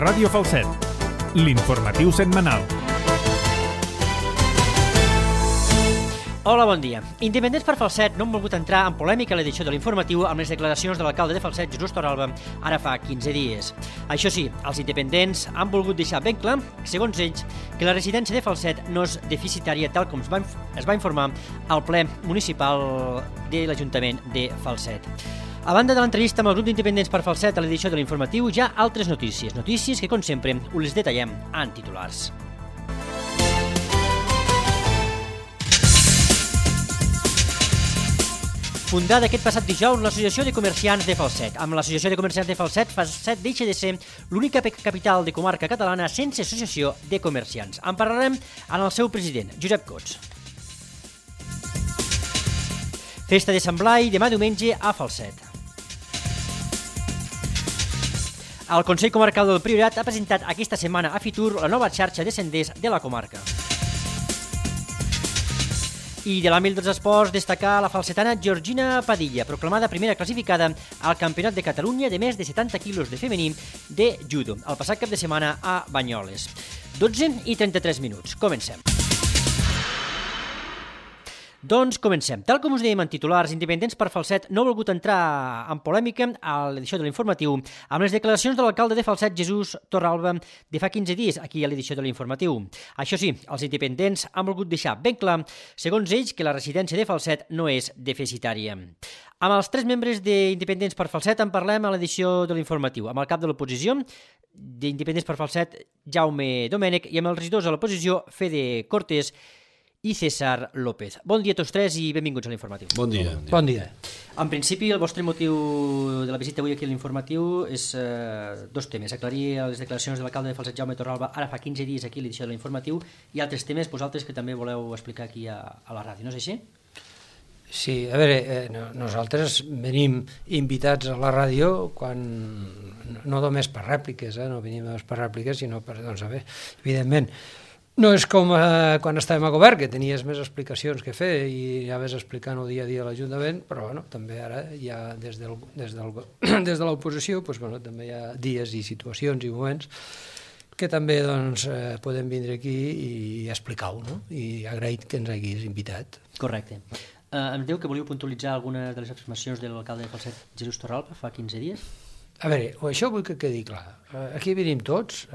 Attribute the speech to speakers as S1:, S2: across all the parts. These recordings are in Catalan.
S1: Ràdio Falset, l'informatiu setmanal.
S2: Hola, bon dia. Independents per Falset no han volgut entrar en polèmica a l'edició de l'informatiu amb les declaracions de l'alcalde de Falset, Jesús Torralba, ara fa 15 dies. Això sí, els independents han volgut deixar ben clar, segons ells, que la residència de Falset no és deficitària tal com es va informar al ple municipal de l'Ajuntament de Falset. A banda de l'entrevista amb el grup d'independents per Falset a l'edició de l'informatiu, hi ha altres notícies que, com sempre, us les detallem en titulars. Fundada aquest passat dijous l'Associació de Comerciants de Falset. Amb l'Associació de Comerciants de Falset, Falset deixa de ser l'única capital de comarca catalana sense associació de comerciants. En parlarem amb el seu president, Josep Cots. Festa de Sant Blai, demà diumenge a Falset. El Consell Comarcal del Priorat ha presentat aquesta setmana a Fitur la nova xarxa de senders de la comarca. I de l'àmbit dels esports, destacar la falsetana Georgina Padilla, proclamada primera classificada al Campionat de Catalunya de més de 70 quilos de femení de judo, el passat cap de setmana a Banyoles. 12:33. Comencem. Doncs comencem. Tal com us dèiem en titulars, Independents per Falset no ha volgut entrar en polèmica a l'edició de l'informatiu amb les declaracions de l'alcalde de Falset, Jesús Torralba, de fa 15 dies aquí a l'edició de l'informatiu. Això sí, els independents han volgut deixar ben clar, segons ells, que la residència de Falset no és deficitària. Amb els 3 membres d'Independents per Falset en parlem a l'edició de l'informatiu, amb el cap de l'oposició d'Independents per Falset, Jaume Domènech, i amb els regidors de l'oposició, Fede Cortés i César López. Bon dia a tots tres i benvinguts a l'informatiu.
S3: Bon dia.
S4: Bon dia.
S2: En principi, el vostre motiu de la visita avui aquí a l'informatiu és 2 temes. Aclarir les declaracions de l'alcalde de Falset, Jaume Torralba, ara fa 15 dies aquí a l'edició de l'informatiu, i altres temes, vosaltres, que també voleu explicar aquí a la ràdio, no és així?
S4: Sí, a veure, nosaltres venim invitats a la ràdio quan, no només per rèpliques, no venim només per rèpliques, sinó per, doncs, a veure, evidentment, no és com quan estàvem a govern, que tenies més explicacions que fer i ja ves explicant el dia a dia a l'Ajuntament, però bueno, també ara ja des de l'oposició doncs, bueno, també hi ha dies i situacions i moments que també doncs, podem vindre aquí i explicar-ho, no? I agraït que ens haguis invitat.
S2: Correcte. Em diu que volíeu puntualitzar algunes de les afirmacions de l'alcalde de Falset, Jesús Torralba, fa 15 dies?
S4: A veure, això vull que quedi clar. Aquí venim tots,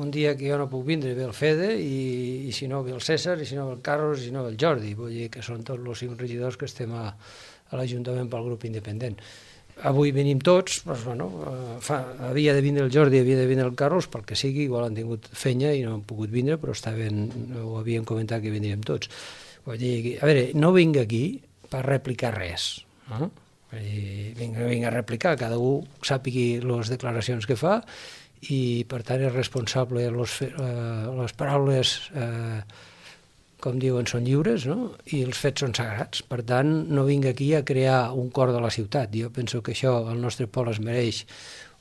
S4: un dia que jo no puc vindre ve el Fede i si no ve el César, i si no ve el Carlos, i si no ve el Jordi, vull dir que són tots els 5 regidors que estem a l'Ajuntament pel grup independent. Avui venim tots, doncs, bueno, havia de vindre el Jordi, havia de vindre el Carlos, pel que sigui, igual han tingut feina i no han pogut vindre, però ho havíem comentat que vindríem tots. Vull dir, a veure, no vinc aquí per replicar res, no? Vinc a replicar, cada un sàpigui les declaracions que fa, i per tant és responsable, les paraules com diuen són lliures, no? I els fets són sagrats, per tant no vinc aquí a crear un cor de la ciutat. Jo penso que això el nostre poble es mereix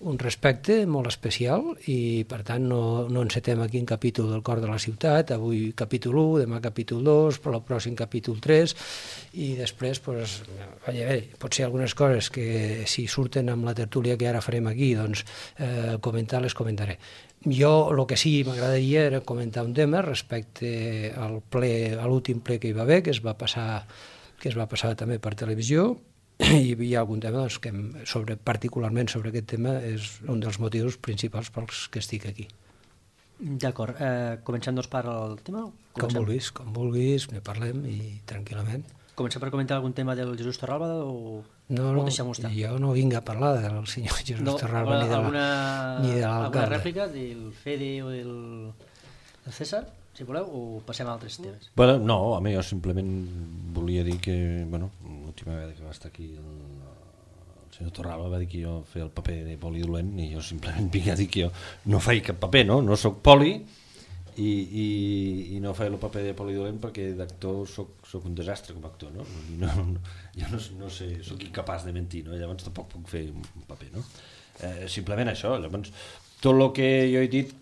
S4: un respecte molt especial i per tant no encetem aquí un capítol del cor de la ciutat, avui capítol 1, demà capítol 2, però el pròxim capítol 3 i després potser algunes coses que si surten amb la tertúlia que ara farem aquí, doncs les comentaré. Jo el que sí m'agradaria era comentar un tema respecte a l'últim ple que hi va haver, que es va passar també per televisió, i hi ha algun tema doncs, que particularment sobre aquest tema és un dels motius principals pels que estic aquí.
S2: D'acord. Comencem doncs per el tema?
S4: Com vulguis, ne parlem i tranquil·lament.
S2: Comencem per comentar algun tema del Jesús Torralba o
S4: no, jo no vinc a parlar del senyor Jesús Torralba ni de l'alcalde.
S2: Alguna rèplica del Fede o del César, si voleu, o passem a altres temes?
S3: Bueno, no, home, jo simplement volia dir que, l'última vegada que va estar aquí el senyor Torralba va dir que jo feia el paper de poli dolent i jo simplement vinc a dir que jo no faig cap paper, no soc poli i no faig el paper de poli dolent perquè d'actor soc un desastre com a actor, no? Jo no sé, soc incapaç de mentir, no? Llavors tampoc puc fer un paper, no? Simplement això, llavors tot el que jo he dit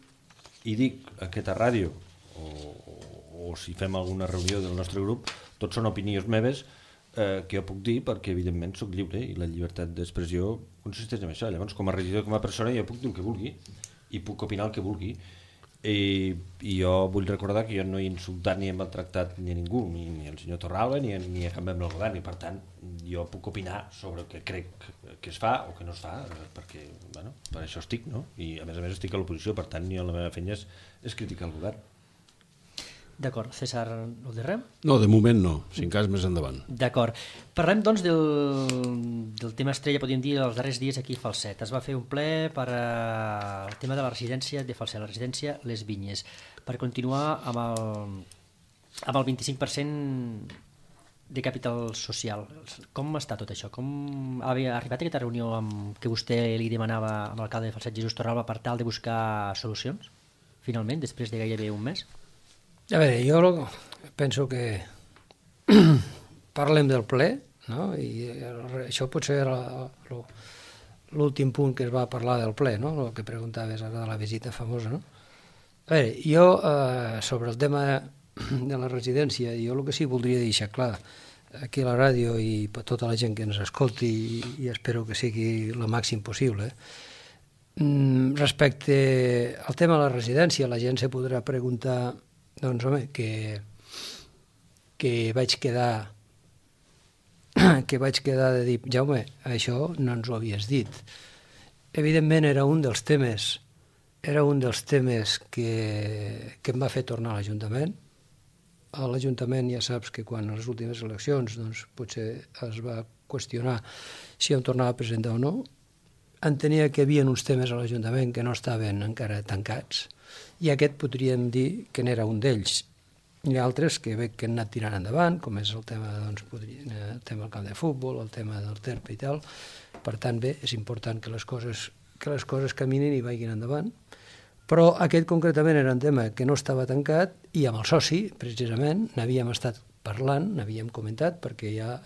S3: i dic a aquesta ràdio o si fem alguna reunió del nostre grup, tots són opinions meves que jo puc dir perquè evidentment sóc lliure i la llibertat d'expressió consisteix en això. Llavors, com a regidor, com a persona, jo puc dir el que vulgui i puc opinar el que vulgui. I jo vull recordar que jo no he insultat ni he maltractat ni a ningú, ni al senyor Torralba ni a cap membre del govern, i per tant jo puc opinar sobre el que crec que es fa o que no es fa, perquè bueno, per això estic, no? I a més estic a l'oposició, per tant la meva feina és criticar el govern.
S2: D'acord. César, ho diré?
S5: No, de moment no, si en cas més endavant.
S2: D'acord. Parlem, doncs, del tema estrella, podríem dir, els darrers dies aquí a Falset. Es va fer un ple per el tema de la residència de Falset, la residència Les Vinyes, per continuar amb el 25% de capital social. Com està tot això? Com havia arribat aquesta reunió que vostè li demanava amb l'alcalde de Falset, Jesús Torralba, per tal de buscar solucions, finalment, després de gairebé un mes?
S4: A veure, jo penso que parlem del ple, no? I això potser era l'últim punt que es va parlar del ple, no? El que preguntaves ara de la visita famosa, no? A veure, jo sobre el tema de la residència, jo el que sí voldria deixar clar aquí a la ràdio i per tota la gent que ens escolti, i espero que sigui el màxim possible, respecte al tema de la residència, la gent se podrà preguntar, doncs home, que vaig quedar de dir, Jaume, això no ens ho havies dit. Evidentment era un dels temes que em va fer tornar a l'Ajuntament. A l'Ajuntament ja saps que quan a les últimes eleccions doncs, potser es va qüestionar si em tornava a presentar o no. Entenia que hi havia uns temes a l'Ajuntament que no estaven encara tancats, i aquest podríem dir que n'era un d'ells. Hi ha altres que veig que han anat tirant endavant, com és el tema, doncs, el tema del camp de futbol, el tema del TERP i tal. Per tant, bé, és important que les coses caminin i vagin endavant. Però aquest concretament era un tema que no estava tancat, i amb el soci, precisament, n'havíem estat parlant, n'havíem comentat, perquè ja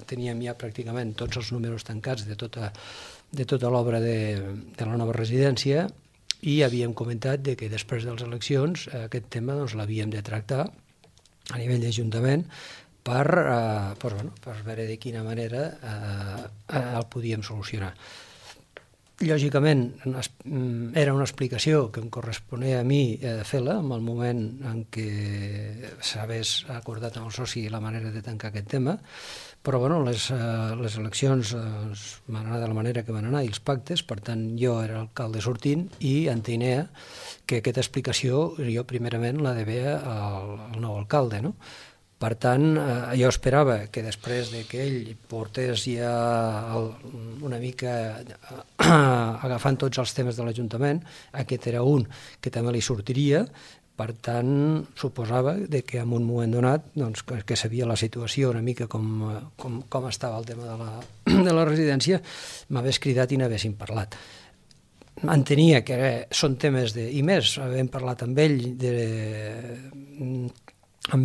S4: teníem ja pràcticament tots els números tancats de tota l'obra de la nova residència, i havíem comentat que després de les eleccions aquest tema doncs, l'havíem de tractar a nivell d'Ajuntament per veure de quina manera el podíem solucionar. Lògicament, era una explicació que em corresponia a mi fer-la en el moment en què s'hagués acordat amb el soci la manera de tancar aquest tema, però bueno, les eleccions van anar de la manera que van anar i els pactes, per tant jo era l'alcalde sortint i entenia que aquesta explicació jo primerament la devia al nou alcalde, no? Per tant, jo esperava que després que ell portés ja una mica agafant tots els temes de l'Ajuntament, aquest era un que també li sortiria. Per tant, suposava que en un moment donat que sabia la situació una mica com estava el tema de la residència, m'hagués cridat i n'haguéssim parlat. Entenia que són temes i més, havent parlat amb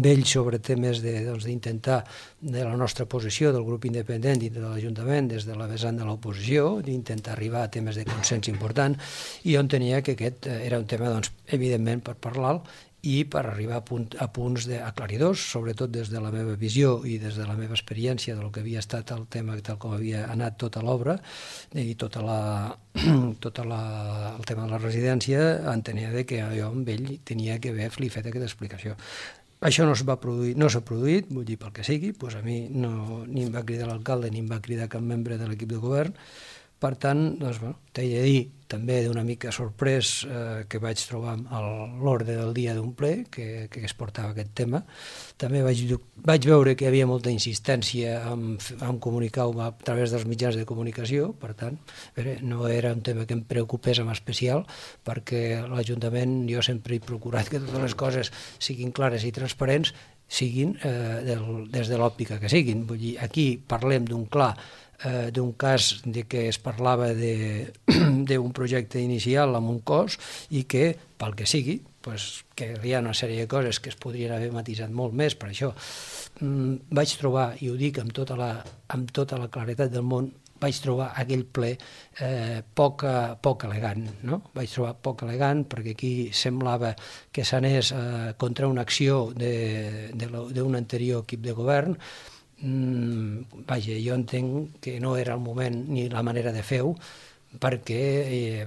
S4: ell sobre temes d'intentar de la nostra posició del grup independent i de l'Ajuntament des de la vessant de l'oposició, d'intentar arribar a temes de consens important, i jo entenia que aquest era un tema, evidentment, per parlar-lo i per arribar a punts aclaridors, sobretot des de la meva visió i des de la meva experiència del que havia estat el tema, tal com havia anat tota l'obra i tot el tema de la residència. Entenia que jo amb ell tenia que haver-li fet aquesta explicació. Això no s'ha produït, vull dir, pel que sigui, doncs a mi ni em va cridar l'alcalde ni em va cridar cap membre de l'equip de govern. Per tant, t'he de dir també d'una mica sorprès que vaig trobar a l'ordre del dia d'un ple que es portava aquest tema. També vaig veure que hi havia molta insistència en comunicar-ho a través dels mitjans de comunicació, per tant, no era un tema que em preocupés en especial, perquè l'Ajuntament jo sempre he procurat que totes les coses siguin clares i transparents, siguin des de l'òptica que siguin. Vull dir, aquí parlem d'un cas que es parlava d'un projecte inicial amb un cost i que, pel que sigui, que hi ha una sèrie de coses que es podrien haver matisat molt més. Per això vaig trobar, i ho dic amb tota la claretat del món, vaig trobar aquell ple poc elegant, no? Vaig trobar poc elegant perquè aquí semblava que s'anés contra una acció d'un anterior equip de govern. vaja, jo entenc que no era el moment ni la manera de fer-ho, perquè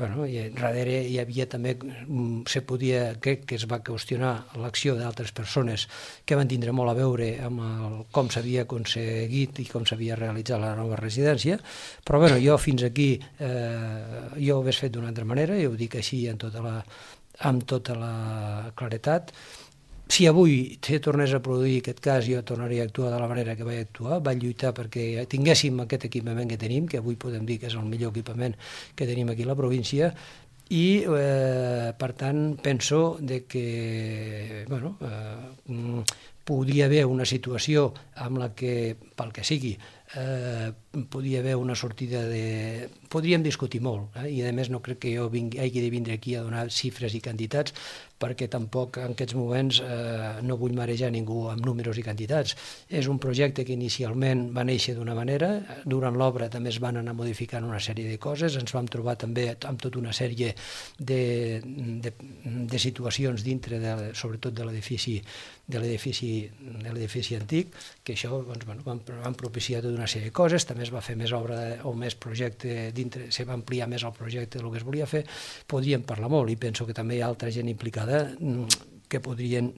S4: darrere hi havia també, crec que es va qüestionar l'acció d'altres persones que van tindre molt a veure amb com s'havia aconseguit i com s'havia realitzat la nova residència, però jo fins aquí jo ho hagués fet d'una altra manera, i ho dic així amb tota la claretat. Si avui se tornés a produir aquest cas, jo tornaria a actuar de la manera que vaig actuar, vaig lluitar perquè tinguéssim aquest equipament que tenim, que avui podem dir que és el millor equipament que tenim aquí a la província, i per tant penso que podria haver una situació amb la que, pel que sigui, podria haver una sortida de... Podríem discutir molt, i a més no crec que jo hagi de vindre aquí a donar xifres i quantitats, perquè tampoc en aquests moments no vull marejar ningú amb números i quantitats. És un projecte que inicialment va néixer d'una manera, durant l'obra també es van anar modificant una sèrie de coses, ens vam trobar també amb tota una sèrie de situacions dintre, sobretot de l'edifici antic, que això van propiciar tota una sèrie de coses, també es va fer més obra o més projecte dintre, se va ampliar més el projecte del que es volia fer. Podríem parlar molt, i penso que també hi ha altra gent implicada que podrien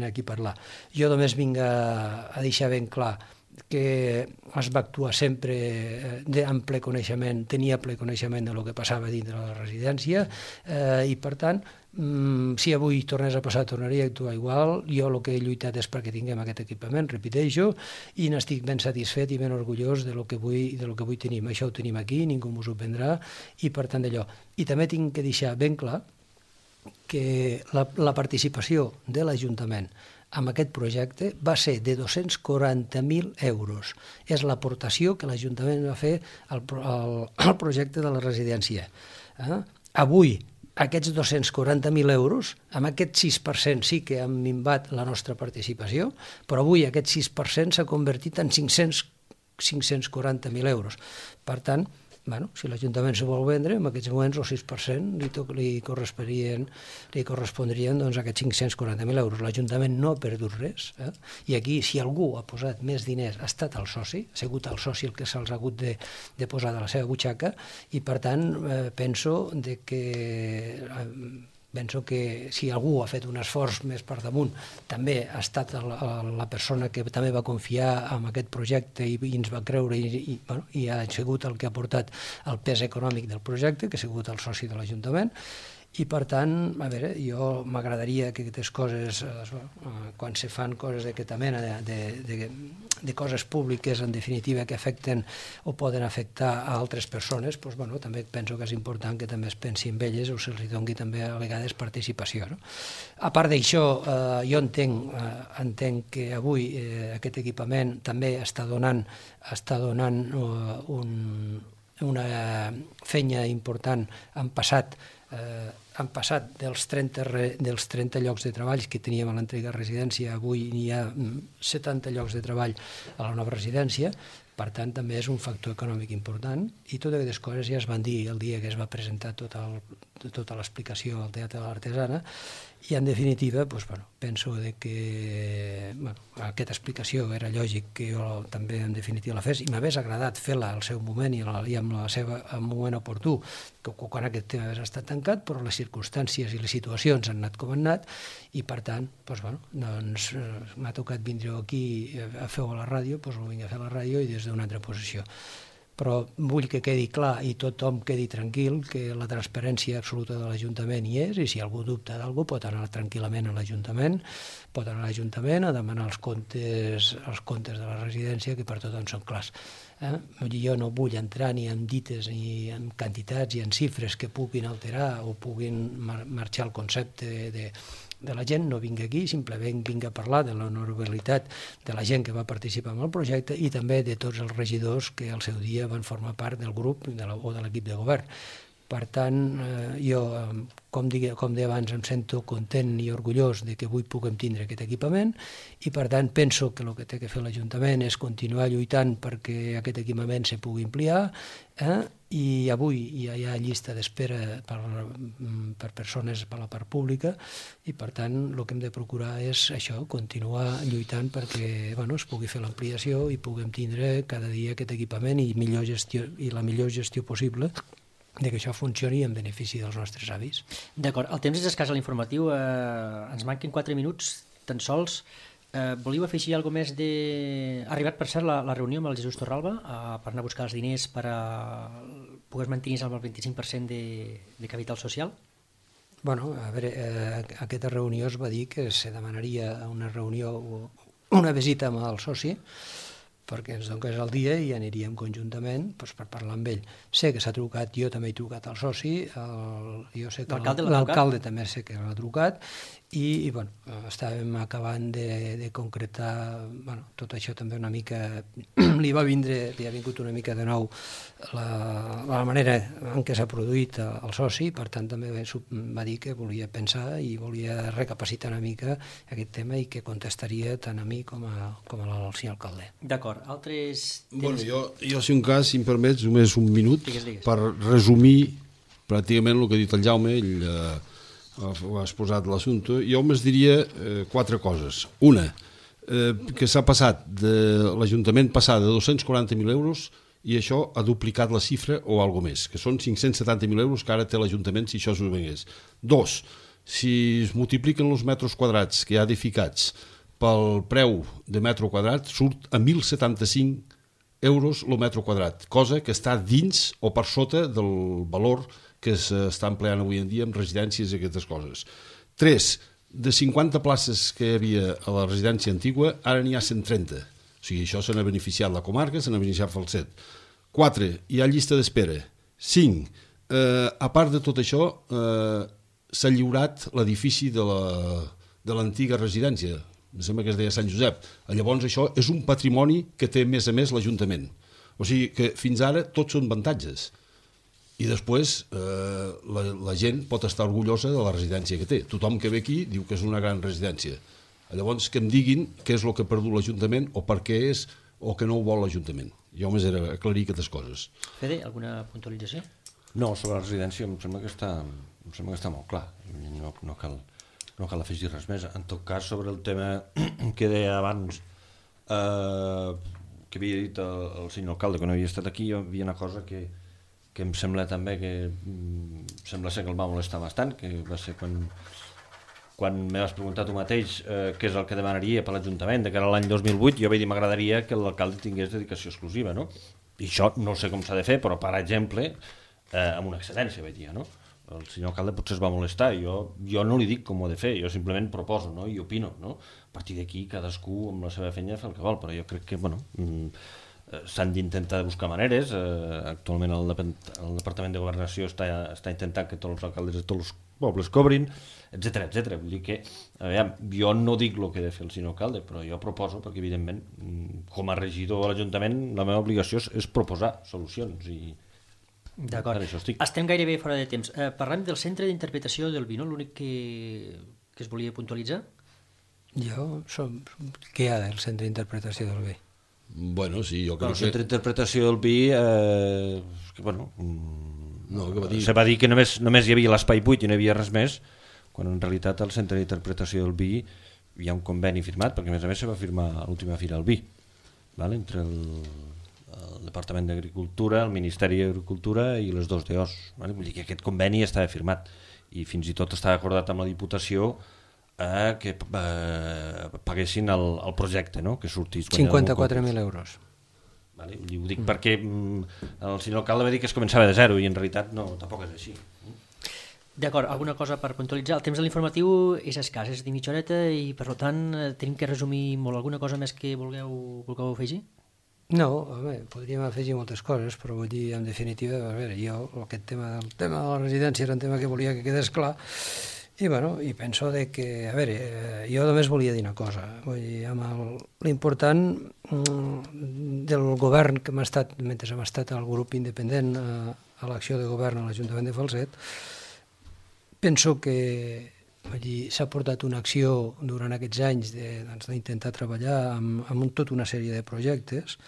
S4: aquí parlar. Jo només vinc a deixar ben clar que es va actuar sempre amb ple coneixement, tenia ple coneixement del que passava dintre de la residència, i per tant, si avui tornés a passar, tornaria a actuar igual. Jo el que he lluitat és perquè tinguem aquest equipament, repeteixo, i n'estic ben satisfet i ben orgullós de lo que avui tenim. Això ho tenim aquí, ningú ens ho prendrà, i per tant d'allò. I també tinc que deixar ben clar que la participació de l'Ajuntament amb aquest projecte va ser de 240.000 euros. És l'aportació que l'Ajuntament va fer al projecte de la residència. Avui, aquests 240.000 euros, amb aquest 6% sí que han minvat la nostra participació, però avui aquest 6% s'ha convertit en 540.000 euros. Per tant, si l'Ajuntament se vol vendre, en aquests moments el 6% li correspondrien aquests 540.000 euros. L'Ajuntament no ha perdut res, i aquí, si algú ha posat més diners, ha estat el soci, ha sigut el soci el que se'ls ha hagut de posar de la seva butxaca, i per tant penso que si algú ha fet un esforç més per damunt, també ha estat la persona que també va confiar en aquest projecte i ens va creure, i ha sigut el que ha portat el pes econòmic del projecte, que ha sigut el soci de l'Ajuntament. I per tant, jo m'agradaria que aquestes coses, quan se fan coses d'aquesta mena, de coses públiques, en definitiva, que afecten o poden afectar a altres persones, també penso que és important que també es pensi en elles o se'ls doni també a vegades participació. A part d'això, jo entenc que avui aquest equipament també està donant una feina important. Han passat dels 30 llocs de treball que teníem a l'antiga residència, avui hi ha 70 llocs de treball a la nova residència. Per tant, també és un factor econòmic important, i totes aquestes coses ja es van dir el dia que es va presentar tota l'explicació al Teatre de l'Artesana, i en definitiva penso que aquesta explicació era lògic que jo també en definitiva la fes, i m'hagués agradat fer-la al seu moment i amb el seu moment oportú, quan aquest tema hagués estat tancat, però les circumstàncies i les situacions han anat com han anat, i per tant m'ha tocat vindre aquí a fer-ho a la ràdio, ho vinc a fer a la ràdio i des d'una altra posició. Però vull que quedi clar i tothom quedi tranquil que la transparència absoluta de l'Ajuntament hi és, i si algú dubta d'algú pot anar tranquil·lament a l'Ajuntament, a demanar els comptes de la residència, que per tothom són clars. Jo no vull entrar ni en dites ni en quantitats i en xifres que puguin alterar o puguin marxar el concepte de la gent. No vinc aquí, simplement vinc a parlar de l'honorabilitat de la gent que va participar en el projecte, i també de tots els regidors que al seu dia van formar part del grup o de l'equip de govern. Per tant, jo, com deia abans, em sento content i orgullós de que avui puguem tindre aquest equipament, i per tant penso que el que té que fer l'Ajuntament és continuar lluitant perquè aquest equipament se pugui ampliar, i avui ja hi ha llista d'espera per persones per la part pública i per tant el que hem de procurar és això, continuar lluitant perquè es pugui fer l'ampliació i puguem tindre cada dia aquest equipament i la millor gestió possible de que això funcioni en benefici dels nostres avis.
S2: D'acord, el temps és escàs a l'informatiu, ens manquen 4 minuts tan sols. Volíeu afegir alguna més de... Ha arribat, per cert, la reunió amb el Jesús Torralba per anar a buscar els diners per poder mantenir amb el 25% de capital social?
S4: Bueno, a veure, aquesta reunió es va dir que se demanaria una reunió o una visita amb el soci perquè ens donés el dia i aniríem conjuntament per parlar amb ell. Sé que s'ha trucat, jo també he trucat al soci, jo sé que l'alcalde també sé que l'ha trucat i estàvem acabant de concretar tot això també una mica li ha vingut una mica de nou la manera en què s'ha produït el soci, per tant també va dir que volia pensar i volia recapacitar una mica aquest tema i que contestaria tant a mi com al senyor alcalde.
S2: D'acord, altres...
S5: Bueno, jo si un cas, si em permets, només un minut
S2: Digues.
S5: Per resumir pràcticament el que ha dit el Jaume, ell ha exposat l'assumpte. Jo més diria 4 coses. Una, que s'ha passat de l'Ajuntament passar de 240.000 euros i això ha duplicat la xifra o alguna més, que són 570.000 euros que ara té l'Ajuntament si això s'ho vengués. 2, si es multipliquen els metres quadrats que hi ha edificats pel preu de metre quadrat, surt a 1.075 euros el metre quadrat, cosa que està dins o per sota del valor que s'està empleant avui en dia en residències i aquestes coses. 3, de 50 places que hi havia a la residència antigua, ara n'hi ha 130. O sigui, això se n'ha beneficiat la comarca, se n'ha beneficiat Falset. 4, hi ha llista d'espera. 5, a part de tot això, s'ha lliurat l'edifici de l'antiga residència, em sembla que es deia Sant Josep. Llavors això és un patrimoni que té més a més l'Ajuntament. O sigui que fins ara tots són avantatges. I després la gent pot estar orgullosa de la residència que té. Tothom que ve aquí diu que és una gran residència. Llavors que em diguin què és el que ha perdut l'Ajuntament o per què és o que no ho vol l'Ajuntament. Jo només era aclarir aquestes coses.
S2: Fede, alguna puntualització?
S3: No, sobre la residència em sembla que està molt clar. No cal afegir res més. En tot cas, sobre el tema que deia abans que havia dit el senyor alcalde que no havia estat aquí, hi havia una cosa que em sembla també que sembla ser que el va molestar bastant, que va ser quan me vas preguntar tu mateix què és el que demanaria per l'Ajuntament, que era l'any 2008, jo vaig dir m'agradaria que l'alcalde tingués dedicació exclusiva, no? I això no sé com s'ha de fer, però per exemple amb una excedència, vaig dir, no? El senyor alcalde potser es va molestar, jo no li dic com ho he de fer, jo simplement proposo, no? I opino, no? A partir d'aquí cadascú amb la seva feina fa el que vol, però jo crec que s'han d'intentar buscar maneres. Actualment el Departament de Governació està intentant que tots els alcaldes de tots els pobles cobrin, etc. Vull dir que jo no dic el que ha de fer el senyor alcalde, però jo proposo, perquè evidentment com a regidor de l'Ajuntament la meva obligació és proposar solucions i
S2: d'acord. Estem gairebé fora de temps. Parlem del centre d'interpretació del vi, no? L'únic que es volia puntualitzar?
S4: Què hi ha del centre d'interpretació del vi?
S5: Bueno, sí, jo crec que...
S3: El centre d'interpretació del vi se va dir que només hi havia l'espai buit i no hi havia res més, quan en realitat al centre d'interpretació del vi hi ha un conveni firmat, perquè a més se va firmar a l'última fira del vi, entre el Departament d'Agricultura, el Ministeri d'Agricultura i les dos DOs. Vull dir que aquest conveni estava firmat i fins i tot estava acordat amb la Diputació que paguessin el projecte, no? Que sortís
S4: 54.000 euros.
S3: Ho dic perquè el senyor alcalde va dir que es començava de zero i en realitat no, tampoc és així.
S2: D'acord, alguna cosa per puntualitzar? El temps de l'informatiu és escàs, és de mitja horeta i per tant tenim que resumir molt. Alguna cosa més que vulgueu afegir?
S4: No, podríem afegir moltes coses, però vull dir, en definitiva, jo aquest tema de la residència era un tema que volia que quedés clar i penso que, jo només volia dir una cosa, vull dir, l'important del govern que mentre hem estat al grup independent a l'acció de govern a l'Ajuntament de Falset, penso que s'ha portat una acció durant aquests anys d'intentar treballar amb tota una sèrie de projectes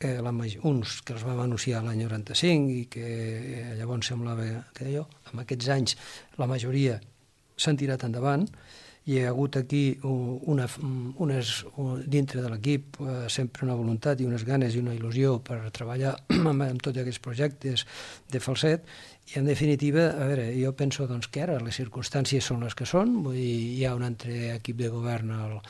S4: uns que els vam anunciar l'any 95 i que llavors semblava que en aquests anys la majoria s'han tirat endavant, i hi ha hagut aquí dintre de l'equip sempre una voluntat i unes ganes i una il·lusió per treballar amb tots aquests projectes de Falset, i en definitiva, a veure, jo penso que ara les circumstàncies són les que són, vull dir, hi ha un altre equip de govern a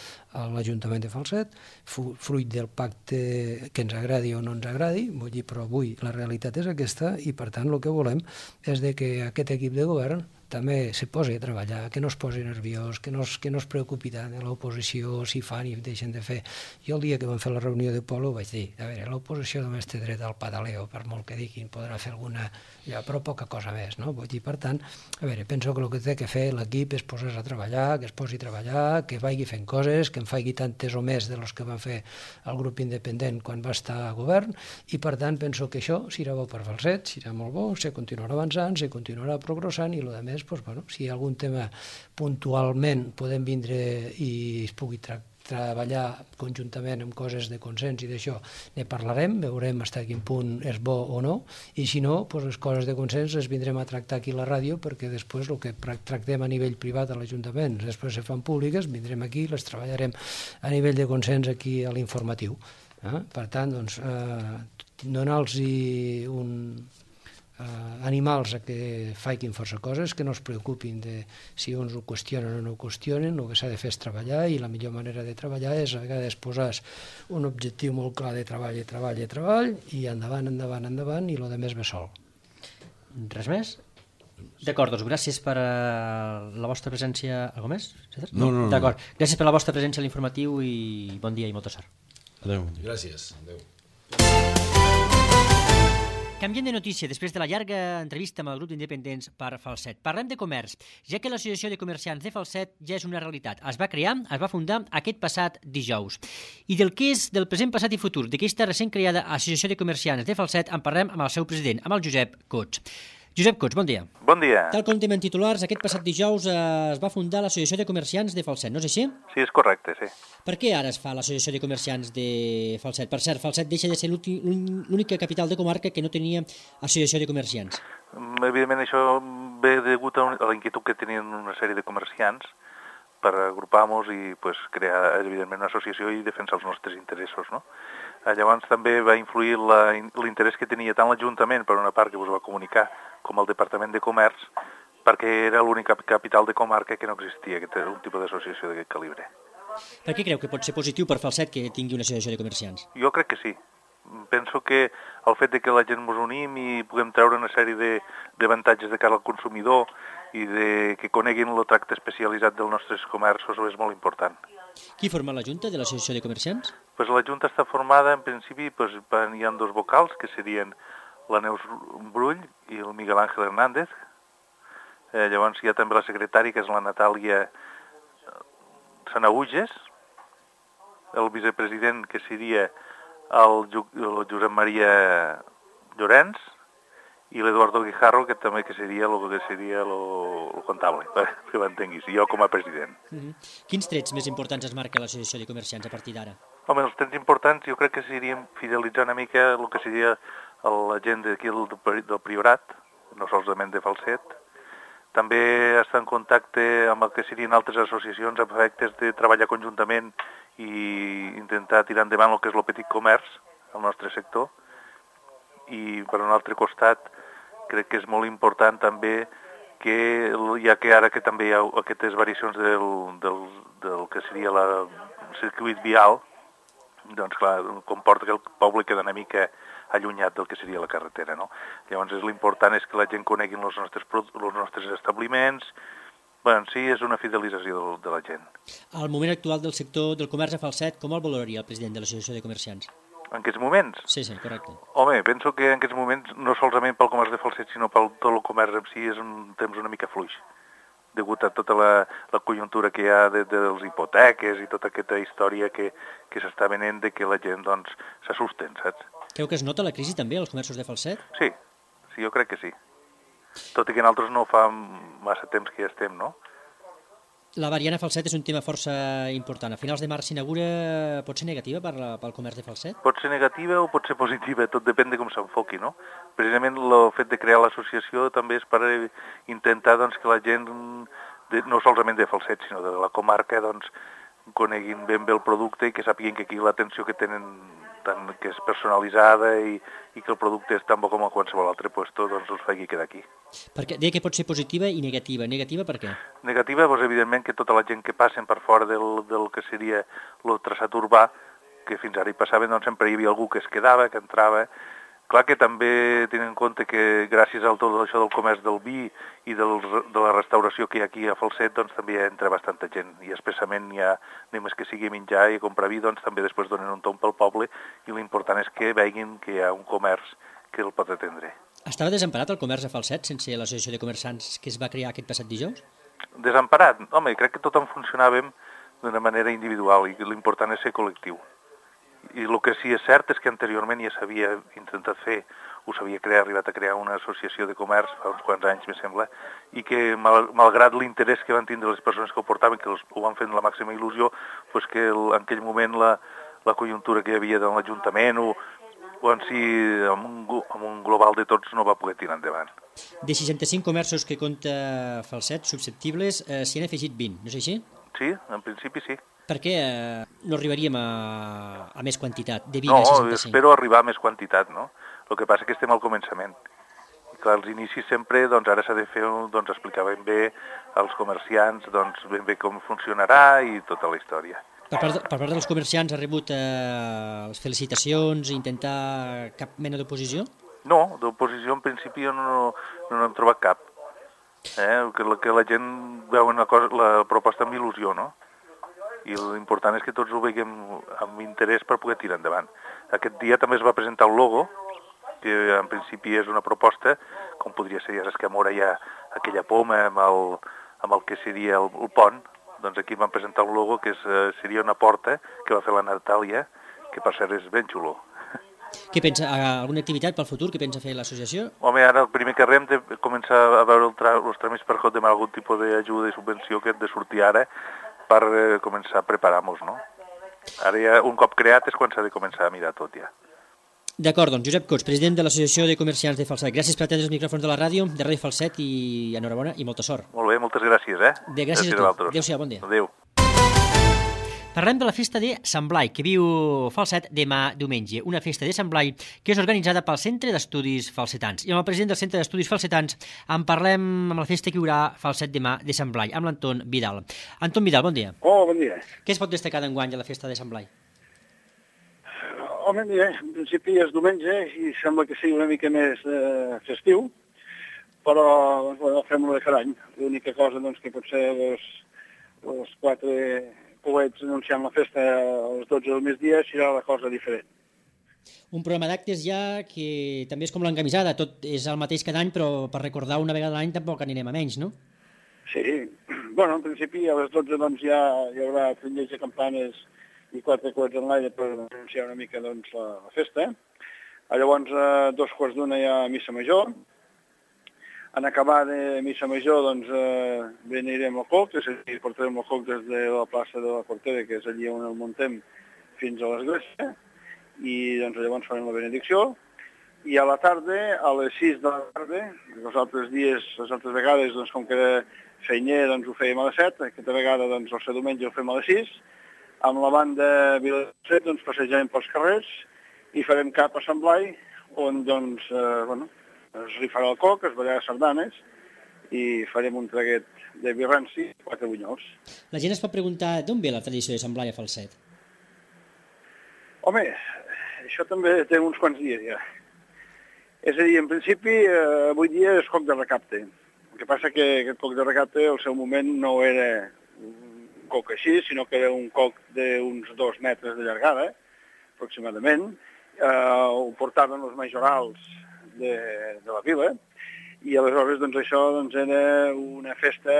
S4: l'Ajuntament de Falset, fruit del pacte que ens agradi o no ens agradi, vull dir, però avui la realitat és aquesta, i per tant el que volem és que aquest equip de govern també se posi a treballar, que no es posi nerviós, que no es preocupi tant de l'oposició, si fan i deixen de fer. Jo el dia que vam fer la reunió de Polo vaig dir, a veure, l'oposició només té dret al pataleo, per molt que diguin, podrà fer alguna, però poca cosa més, no? Vull dir, per tant, a veure, penso que el que té que fer l'equip és posar-se a treballar, que es posi a treballar, que vagi fent coses, que en faci tantes o més de les que van fer el grup independent quan va estar a govern, i per tant penso que això serà bo per Falset, serà molt bo, se continuarà avançant, se continuarà progressant, i el que més, si hi ha algun tema puntualment podem vindre i es pugui treballar conjuntament amb coses de consens i d'això, ne parlarem, veurem fins a quin punt és bo o no, i si no, les coses de consens les vindrem a tractar aquí a la ràdio, perquè després el que tractem a nivell privat a l'Ajuntament, després se fan públiques, vindrem aquí, les treballarem a nivell de consens aquí a l'informatiu. Per tant, donar-los animals a que facin força coses, que no es preocupin de si uns ho qüestionen o no ho qüestionen, el que s'ha de fer és treballar, i la millor manera de treballar és a vegades posar un objectiu molt clar de treball, i endavant, i el de més ve sol.
S2: Res més? D'acord, doncs gràcies per la vostra presència. Algo més?
S5: No.
S2: D'acord, gràcies per la vostra presència a l'informatiu i bon dia i molta sort.
S3: Adéu.
S5: Gràcies. Adéu.
S2: Canviem de notícia després de la llarga entrevista amb el grup d'independents per Falset. Parlem de comerç, ja que l'Associació de Comerciants de Falset ja és una realitat. Es va crear, es va fundar aquest passat dijous. I del que és del present, passat i futur d'aquesta recent creada Associació de Comerciants de Falset en parlem amb el seu president, amb el Josep Cots. Josep Cots, bon dia.
S6: Bon dia.
S2: Tal com tenim en titulars, aquest passat dijous es va fundar l'Associació de Comerciants de Falset, no és així?
S6: Sí, és correcte, sí.
S2: Per què ara es fa l'Associació de Comerciants de Falset? Per cert, Falset deixa de ser l'única capital de comarca que no tenia Associació de Comerciants.
S6: Evidentment això ve degut a la inquietud que tenien una sèrie de comerciants per agrupar-nos i crear, evidentment, una associació i defensar els nostres interessos, no? Llavors també va influir l'interès que tenia tant l'Ajuntament, per una part que us va comunicar, com el Departament de Comerç, perquè era l'única capital de comarca que no existia un tipus d'associació d'aquest calibre.
S2: Per què creu que pot ser positiu per Falset que tingui una associació de comerciants?
S6: Jo crec que sí. Penso que el fet de que la gent ens unim i puguem treure una sèrie d'avantatges de cara al consumidor i que coneguin el tracte especialitzat dels nostres comerços és molt important.
S2: Qui forma la Junta de l'Associació de Comerciants?
S6: La Junta està formada, en principi, hi ha dos vocals, que serien la Neus Brull i el Miguel Ángel Hernández. Llavors hi ha també la secretària, que és la Natàlia Sanaúges, el vicepresident, que seria el Josep Maria Llorenç, i l'Eduardo Guijarro, que també seria el comptable, que m'entenguis, i jo com a president.
S2: Quins trets més importants es marca l'Associació de Comerciants a partir d'ara?
S6: Home, els trets importants jo crec que serien fidelitzar una mica el que seria la gent d'aquí del Priorat, no solament de Falset. També estar en contacte amb el que serien altres associacions amb efectes de treballar conjuntament i intentar tirar endavant el que és el petit comerç al nostre sector. I per un altre costat crec que és molt important també que, ja que ara que també hi ha aquestes variacions del que seria el circuit vial, doncs clar, comporta que el poble queda una mica allunyat del que seria la carretera, no? Llavors l'important és que la gent conegui els nostres establiments. Bé, sí, és una fidelització de la gent.
S2: Al moment actual del sector del comerç a Falset, com el valoraria el president de l'Associació de Comerciants?
S6: En aquests moments?
S2: Sí, correcte.
S6: Home, penso que en aquests moments, no solament pel comerç de Falset, sinó pel tot el comerç en si, és un temps una mica fluix, degut a tota la conjuntura que hi ha de les hipoteques i tota aquesta història que s'està venent de que la gent, doncs, s'assusten, saps?
S2: Creu que es nota la crisi també als comerços de Falset?
S6: Sí, jo crec que sí. Tot i que nosaltres no fa massa temps que ja estem, no?
S2: La variant a falset és un tema força important. A finals de març s'inaugura, pot ser negativa pel comerç de falset?
S6: Pot ser negativa o pot ser positiva, tot depèn de com s'enfoqui, no? Precisament el fet de crear l'associació també és per intentar doncs, que la gent, no solament de falset, sinó de la comarca, doncs, coneguin ben bé el producte i que sàpiguen que aquí l'atenció que tenen, tant que és personalitzada i que el producte és tan bo com a qualsevol altre puesto, doncs els faci quedar aquí.
S2: Perquè deia que pot ser positiva i negativa. Negativa per què?
S6: Negativa, doncs, evidentment, que tota la gent que passen per fora del que seria el traçat urbà, que fins ara hi passaven, doncs sempre hi havia algú que es quedava, que entrava. Clar que també tenen en compte que gràcies a tot això del comerç del vi i de la restauració que hi ha aquí a Falset, doncs també entra bastanta gent i expressament hi ha, només que sigui a menjar i a comprar vi, doncs també després donen un tomb pel poble i l'important és que veguin que hi ha un comerç que el pot atendre.
S2: Estava desemparat el comerç a Falset sense l'associació de comerciants que es va crear aquest passat dijous?
S6: Desemparat? Home, crec que tothom funcionàvem d'una manera individual i l'important és ser col·lectiu. I el que sí és cert és que anteriorment ja s'havia intentat fer, ho s'havia arribat a crear una associació de comerç fa uns quants anys, me sembla, i que malgrat l'interès que van tindre les persones que ho portaven, que ho van fer amb la màxima il·lusió, doncs que en aquell moment la conjuntura que hi havia de l'Ajuntament o en si amb un global de tots no va poder tirar endavant.
S2: De 65 comerços que compta Falset susceptibles, s'hi han afegit 20, no és així?
S6: Sí, en principi sí.
S2: Per què no arribaríem a més quantitat, de 20 a 65?
S6: No, espero arribar a més quantitat, no? El que passa és que estem al començament. I clar, als inicis sempre, doncs ara s'ha de fer, doncs explicar ben bé als comerciants, doncs ben bé com funcionarà i tota la història.
S2: Per part dels comerciants ha rebut les felicitacions i intentar cap mena d'oposició?
S6: No, d'oposició en principi no n'hem trobat cap. Que la gent veu la proposta amb il·lusió, no? I l'important és que tots ho veiem amb interès per poder tirar endavant. Aquest dia també es va presentar el logo, que en principi és una proposta, com podria ser, ja saps que a Mora hi ha aquella poma amb el que seria el pont, doncs aquí van presentar un logo que seria una porta que va fer la Natàlia, que per cert és ben xulo.
S2: Què pensa, alguna activitat pel futur que pensa fer l'associació?
S6: Home, ara el primer que hem de començar a veure els tràmits per demanar algun tipus d'ajuda i subvenció que hem de sortir ara per començar a preparar-nos, no? Ara ja, un cop creat és quan s'ha de començar a mirar tot ja.
S2: D'acord, doncs Josep Cots, president de l'Associació de Comerciants de Falset. Gràcies per atendre els micròfons de la ràdio, de Ràdio Falset, i enhorabona i molta sort.
S6: Molt bé, moltes gràcies,
S2: Gràcies a tu. Adéu-siau, bon dia.
S6: Adéu.
S2: Parlem de la festa de Sant Blai, que viu Falset demà diumenge. Una festa de Sant Blai que és organitzada pel Centre d'Estudis Falsetans. I amb el president del Centre d'Estudis Falsetans en parlem amb la festa que hi haurà Falset demà de Sant Blai, amb l'Anton Vidal. Anton Vidal, bon dia.
S7: Hola, bon dia.
S2: Què es pot destacar d'enguany a la festa de Sant Blai?
S7: Home, mira, en principi és diumenge i sembla que sigui una mica més festiu, però doncs, bueno, fem-lo de cada any. L'única cosa doncs, que potser els 4 coets anunciant la festa a les 12 del migdia serà la cosa diferent.
S2: Un programa d'actes ja que també és com l'encamisada, tot és el mateix cada any, però per recordar una vegada a l'any tampoc anirem a menys, no?
S7: Sí, bueno, en principi a les 12 doncs, ja hi haurà trinells de campanes i 4 coets en l'aire per anunciar una mica doncs, la festa. Llavors, a 2:15 hi ha missa major. En acabar de missa major, doncs, venirem al coc, és a dir, portarem el coc des de la plaça de la Cortera, que és allí on el muntem, fins a l'església, i doncs, llavors farem la benedicció. I a la tarda, a les 6 de la tarda, els altres vegades, doncs, com que era feiner, doncs ho fèiem a les 7, aquesta vegada, doncs, el diumenge ho fem a les 6, amb la banda Viladecret, doncs, passejarem pels carrers i farem cap a Sant Blai, on, doncs, es rifarà el coc, es ballarà sardanes i farem un traguet de vi ranci i 4 bunyols.
S2: La gent es pot preguntar d'on ve la tradició de Sant Blai a Falset?
S7: Home, això també té uns quants dies ja. És a dir, en principi, avui dia és coc de recapte. El que passa que aquest coc de recapte, al seu moment, no era un coc així, sinó que era un coc d'uns 2 metres de llargada, aproximadament. Ho portaven els majorals de la vila, i aleshores doncs, això doncs, era una festa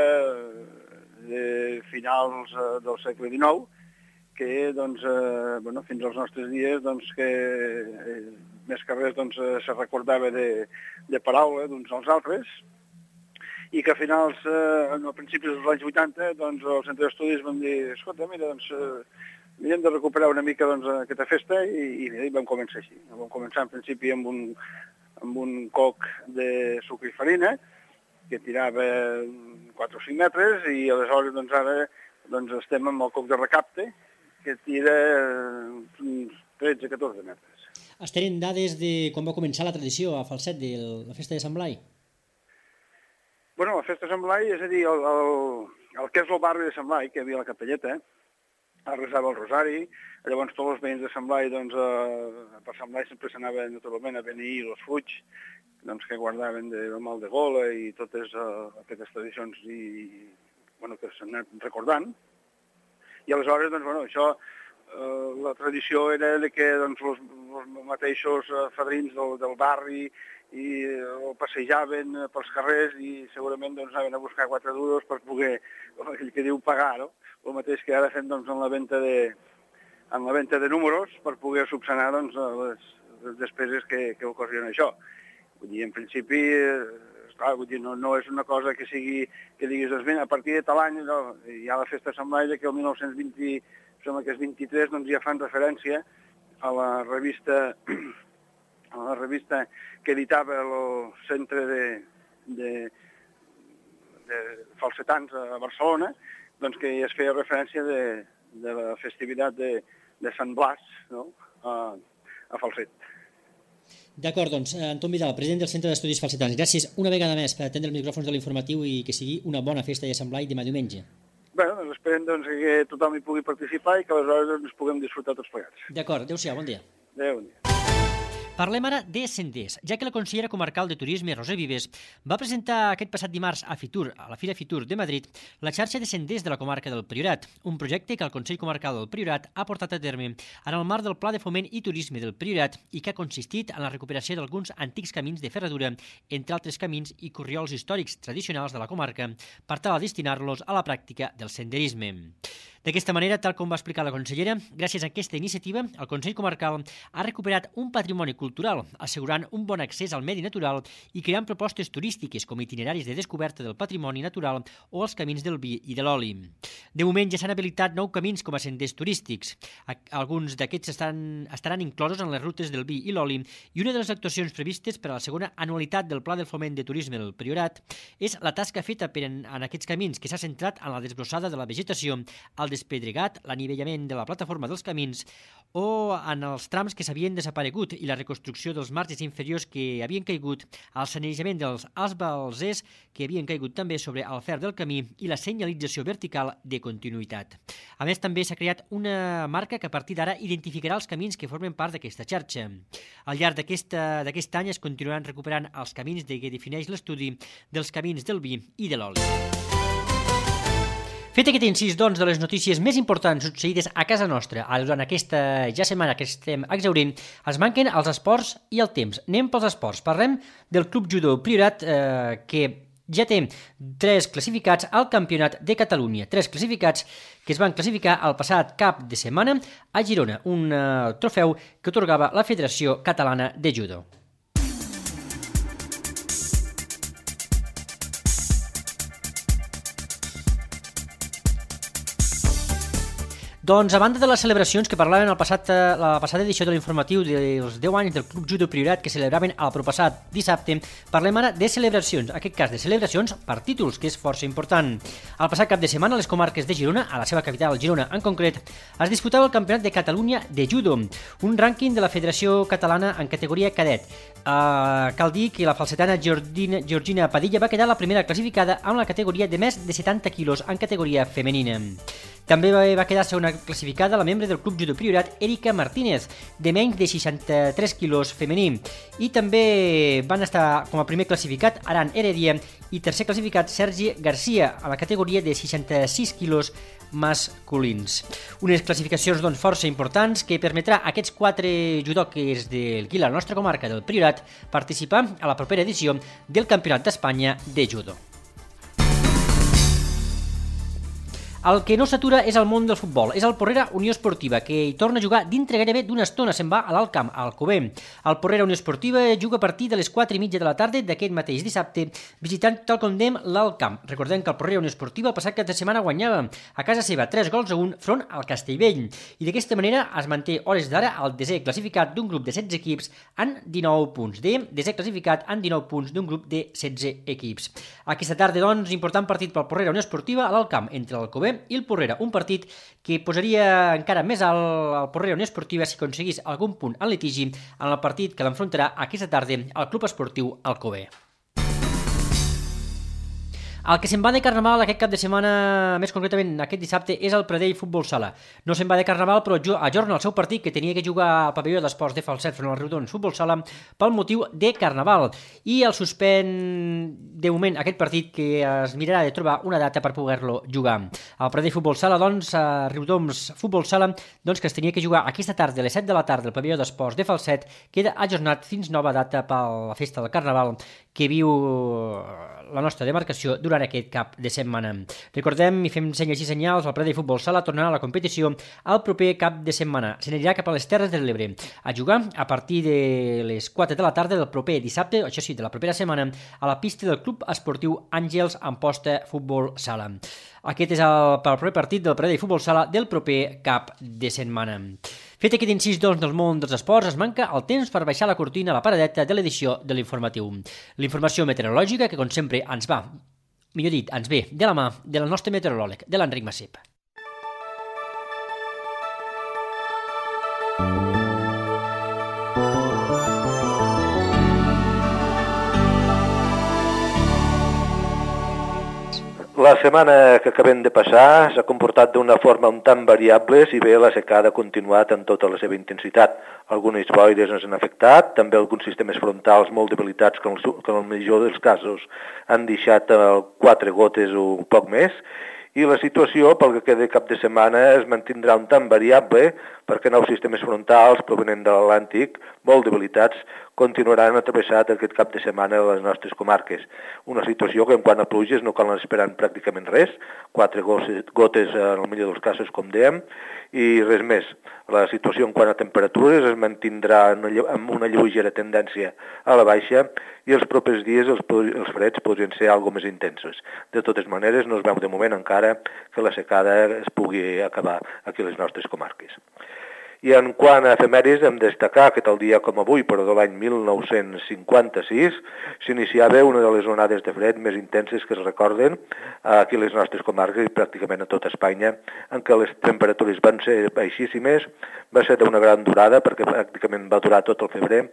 S7: de finals del segle XIX que doncs, fins als nostres dies doncs, que més que res doncs, se recordava de paraula d'uns als altres, i que a finals, a principis dels anys 80, doncs el centre d'estudis vam dir, escolta, mira, doncs hem de recuperar una mica aquesta festa i vam començar així. Vam començar en principi amb un coc de sucre i farina que tirava 4 o 5 metres i aleshores doncs ara estem amb el coc de recapte que tira 13-14 metres.
S2: Es tenen dades de com va començar la tradició a Falset de la festa de Sant Blai?
S7: Bueno, la festa de Sant Blai, és a dir, el que és el barri de Sant Blai, que hi havia la capelleta, es resava el rosari, llavors tots els veïns de Sant Blai, doncs, per Sant Blai sempre s'anaven naturalment a beneir els fuig, doncs, que guardaven del mal de gola i totes aquestes tradicions que s'han anat recordant. I aleshores, doncs, això, la tradició era que doncs, els mateixos fadrins del barri el passejaven pels carrers i segurament doncs, anaven a buscar 4 duros per poder, com aquell que diu, pagar, no? El mateix que ara fem doncs, en la venda de números per poder subsanar doncs, les despeses que ocorren això. Vull dir, en principi, esclar, vull dir, no és una cosa que sigui, que diguis, doncs, a partir de tal any, no, hi ha la festa de Sant Blai, que el 1920, sembla que és 23, doncs ja fan referència a la revista que editava el centre de falsetans a Barcelona, doncs que es feia referència de la festivitat de Sant Blas, no? a Falset.
S2: D'acord, doncs, Anton Vidal, president del Centre d'Estudis Falsetans, gràcies una vegada més per atendre els micròfons de l'informatiu i que sigui una bona festa de Sant Blai demà diumenge.
S7: Bé, doncs esperem que tothom hi pugui participar i que aleshores ens puguem disfrutar tots plegats.
S2: D'acord, adéu-siau, bon dia.
S7: Adéu, bon dia.
S2: Parlem ara de senders, ja que la consellera comarcal de Turisme, Roser Vives, va presentar aquest passat dimarts a Fitur, a la Fira Fitur de Madrid, la xarxa de senders de la comarca del Priorat, un projecte que el Consell Comarcal del Priorat ha portat a terme en el marc del Pla de Foment i Turisme del Priorat i que ha consistit en la recuperació d'alguns antics camins de ferradura, entre altres camins i corriols històrics tradicionals de la comarca, per tal a destinar-los a la pràctica del senderisme. D'aquesta manera, tal com va explicar la consellera, gràcies a aquesta iniciativa, el Consell Comarcal ha recuperat un patrimoni cultural, assegurant un bon accés al medi natural i creant propostes turístiques com itineraris de descoberta del patrimoni natural o els camins del vi i de l'oli. De moment ja s'han habilitat 9 camins com a senders turístics. Alguns d'aquests estaran inclosos en les rutes del vi i l'oli i una de les actuacions previstes per a la segona anualitat del Pla del Foment de Turisme del Priorat és la tasca feta en aquests camins que s'ha centrat en la desbrossada de la vegetació, el despedregat, l'anivellament de la plataforma dels camins o en els trams que s'havien desaparegut i la reconstrucció dels marges inferiors que havien caigut, el sanejament dels esbalzers que havien caigut també sobre el fer del camí i la senyalització vertical de continuïtat. A més, també s'ha creat una marca que a partir d'ara identificarà els camins que formen part d'aquesta xarxa. Al llarg d'aquest any es continuaran recuperant els camins que defineix l'estudi dels camins del vi i de l'oli. Fet aquest incís, doncs, de les notícies més importants succeïdes a casa nostra durant aquesta setmana que estem exhaurint, ens manquen els esports i el temps. Anem pels esports. Parlem del Club Judo Priorat, que ja té 3 classificats al Campionat de Catalunya. 3 classificats que es van classificar el passat cap de setmana a Girona, un trofeu que atorgava la Federació Catalana de Judo. Doncs, a banda de les celebracions que parlaven la passada edició de l'informatiu dels 10 anys del Club Judo Priorat que celebraven el proppassat dissabte, parlem ara de celebracions, en aquest cas de celebracions per títols, que és força important. El passat cap de setmana, a les comarques de Girona, a la seva capital, Girona en concret, es disputava el Campionat de Catalunya de Judo, un rànquing de la Federació Catalana en categoria cadet. Cal dir que la falsetana Georgina Padilla va quedar la primera classificada amb la categoria de més de 70 quilos en categoria femenina. També va quedar segona classificada la membre del Club Judo Priorat, Erika Martínez, de menys de 63 quilos femení. I també van estar com a primer classificat Aran Heredia i tercer classificat Sergi Garcia, a la categoria de 66 quilos masculins. Unes classificacions doncs, força importants que permetrà a aquests 4 judoques del Guila, la nostra comarca del Priorat, participar a la propera edició del Campionat d'Espanya de Judo. El que no s'atura és el món del futbol. És el Porrera Unió Esportiva, que hi torna a jugar dintre gairebé d'una estona. Se'n va a l'Alt Camp, a Alcover. El Porrera Unió Esportiva juga a partir de les 4:30 de la tarda d'aquest mateix dissabte, visitant tal com dèiem l'Alt Camp. Recordem que el Porrera Unió Esportiva el passat cap de setmana guanyava a casa seva 3-1 front al Castellvell. I d'aquesta manera es manté hores d'ara el desè classificat d'un grup de 16 equips en 19 punts. Desè classificat en 19 punts d'un grup de 16 equips. Aquesta tarda, doncs, important partit pel Porrera Unió Esportiva a l'Alt Camp, entre l'Alcover i el Porrera, un partit que posaria encara més alt el Porrera Unió Esportiva si aconseguís algun punt en litigi en el partit que l'enfrontarà aquesta tarda al Club Esportiu Alcover. El que se'n va de Carnaval aquest cap de setmana, més concretament aquest dissabte, és el Pradell Futbol Sala. No se'n va de Carnaval, però ajorna el seu partit que tenia que jugar al pavelló d'esports de Falset front al Riudons Futbol Sala pel motiu de Carnaval. I el suspèn de moment aquest partit que es mirarà de trobar una data per poder-lo jugar. El Pradell Futbol Sala, doncs, a Riudons Futbol Sala, doncs, que es tenia que jugar aquesta tarda a les 7 de la tarda al pavelló d'esports de Falset, queda ajornat fins nova data per la festa del Carnaval que viu la nostra demarcació durant aquest cap de setmana. Recordem i fem senyals i senyals, el Pradell Futbol Sala tornarà a la competició el proper cap de setmana. Se n'anirà cap a les Terres de l'Ebre a jugar a partir de les 4 de la tarda del proper dissabte, això sí, de la propera setmana, a la pista del Club Esportiu Àngels Amposta Futbol Sala. Aquest és el proper partit del Pradell Futbol Sala del proper cap de setmana. Fet aquest incís, doncs, del món dels esports, es manca el temps per baixar la cortina a la paradeta de l'edició de l'informatiu. L'informació meteorològica que, com sempre, ens ve de la mà del nostre meteoròleg, de l'Enric Massip.
S8: La setmana que acabem de passar s'ha comportat d'una forma un tant variable, si bé la secada ha continuat en tota la seva intensitat. Algunes boires ens han afectat, també alguns sistemes frontals molt debilitats que en el millor dels casos han deixat 4 gotes o poc més, i la situació, pel que queda cap de setmana, es mantindrà un tant variable perquè nous sistemes frontals provenents de l'Atlàntic, molt debilitats, continuaran travessat aquest cap de setmana a les nostres comarques. Una situació que en quant a pluges no cal esperar pràcticament res, 4 gotes en el millor dels casos, com dèiem, i res més. La situació en quant a temperatures es mantindrà amb una lleugera tendència a la baixa i els propers dies els freds podrien ser algo més intensos. De totes maneres, no es veu de moment encara que la secada es pugui acabar aquí a les nostres comarques. I en quant a efemèrides, hem de destacar que tal dia com avui, però de l'any 1956, s'iniciava una de les onades de fred més intenses que es recorden aquí a les nostres comarques i pràcticament a tota Espanya, en què les temperatures van ser baixíssimes, va ser d'una gran durada perquè pràcticament va durar tot el febrer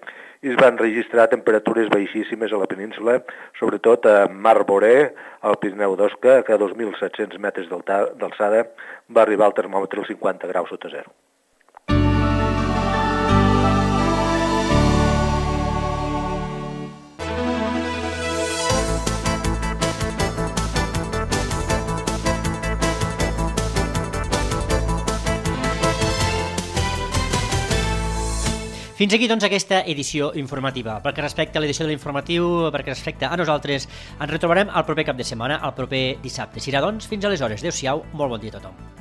S8: i es van registrar temperatures baixíssimes a la península, sobretot a Mar Boré, al Pirineu d'Osca, que a 2.700 metres d'alçada va arribar el termòmetre als 50 graus sota zero.
S2: Fins aquí, doncs, aquesta edició informativa. Pel que respecta a l'edició de l'informatiu, pel que respecta a nosaltres, ens retrobarem el proper cap de setmana, el proper dissabte. Serà, doncs, fins aleshores. Adéu-siau, molt bon dia a tothom.